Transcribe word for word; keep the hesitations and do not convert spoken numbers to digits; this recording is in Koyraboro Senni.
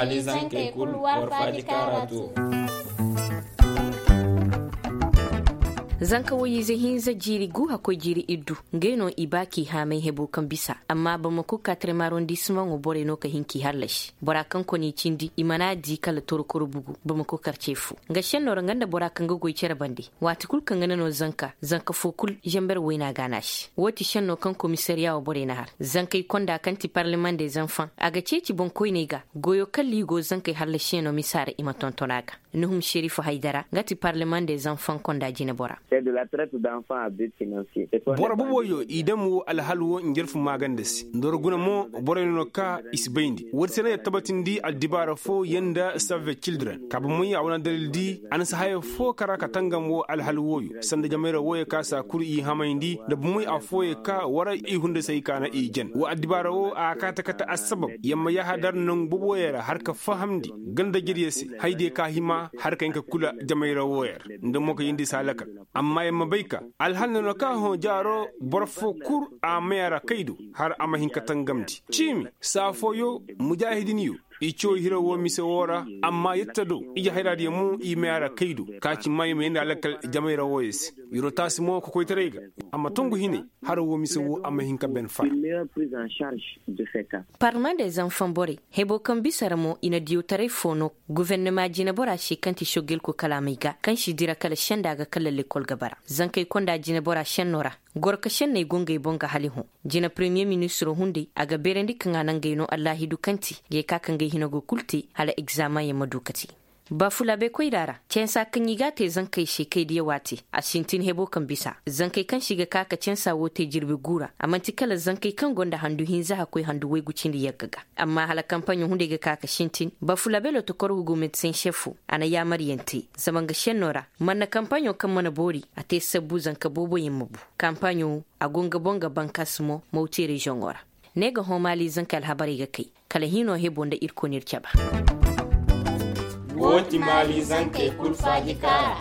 Zankey kul war faaji kaara tu. Zanka woy ize hinza jiiri gu hakkoy jiiri iddu, ngey no i ba k'i haamay hebo kaŋ bisa. Amma bamako kaatare maarondisimaŋo borey no ka hin k'i hallasi. Bora kaŋ koni cindi i mana di kala torokoro bugu, bamako karce fo. Nga šenno ra nga nda bora kaŋ ga goy cere bande. Waati kul kaŋ ga ne no zanka zanka fo kul, zamber wayna ga a naasi. Woo ti šenno kaŋ komisariya wo borey na har zankey konda kaŋ ti parleman de zanfaŋ a ga ceeci boŋkoyney ga. Goyo kaŋ liigo zankey hallasiyaŋo misa ra i ma tonton a ga. Nuhum šerifu haydara nga ti parleman de zanfaŋ konda jinebora. Boro boboyo i dam wo alhal wo njarfu maaganda se nda war guna mo. Borey no no ka i si bayndi woodi se no ya tabatindi addibaara fo yanda save cildren ka bomey a wane dalil di. A na si haya fo kara ka tangam wo alhal wooyo sanda jamayra wooyo ka saa kul i hamayndi nda bomey affooyo ka war i hundasey ka na i jan wo addibaara wo a kaate kate assabab yamma yahadar nangu boboyo ra har ka fahamndi ganda jiryo se. Haydiyo ka hima har ka hin ka kula jamayra wooyo ra nda mo ka yindi si halaka. Amma yamma bay ka alhal no no ka hõ jaaro boro fo kul a may a ra kay do har a ma hin ka tangamndi ciimi saa fooyo mujaahidinyo. I caw hira woo mise woo ra amma yette do ije hayraadiyo mo i may a ra kay do. Ka ci may ma yee nda alakal jamayra wooyo se. Yiro taasi mo kokoytaray ga a ma tongu hinay. Hara woo mise woo a ma hin ka ben fara. Parlemaŋ de zanfaŋ borey hebo kaŋ bisa ra mo i na diyawtaray fo no. Gufernama jinebora se kaŋ ti soggelko kalaamey ga kaŋ si dira kala senda ga kala lekkol ga bara zankey konda jinebora senno ra. Goro ka senney go ngey boŋ ga hali hõ. Jine paremiye ministiro hunday a ga beerandi kaŋ a na ngey no allaahidu kaŋ ti ngey ka ka ngey hinago kul te hala egzaameŋ yaŋ ma du ka te. Baafulaabe koyra ra cansa kaŋ i g'a te zankey se kay diya waati a sintin hebo kaŋ bisa zankey kaŋ se i ga ka ka cansa woo te jirbi guu ra a man'ti kala zankey kaŋ go nda handu hinza hakkoy handu waygu cindi yagga ga. Amma hala kampaɲo hunday ga ka ka sintin baafulaabe lotokor hugu medsen šefo a na yaamariyaŋ te zama nga šenno ra. Mana kampaɲo kaŋ mana boori a te sabbu zanka booboyaŋ ma bu. Kampaɲo a go nga boŋ ga bankas mo mawti reziyoŋo ra. Ne ga hõ maali zankey alhabarey ga kay kala hino hebo nda ir koy n'ir caba. Woo ti maali zankey kul faaji kaara.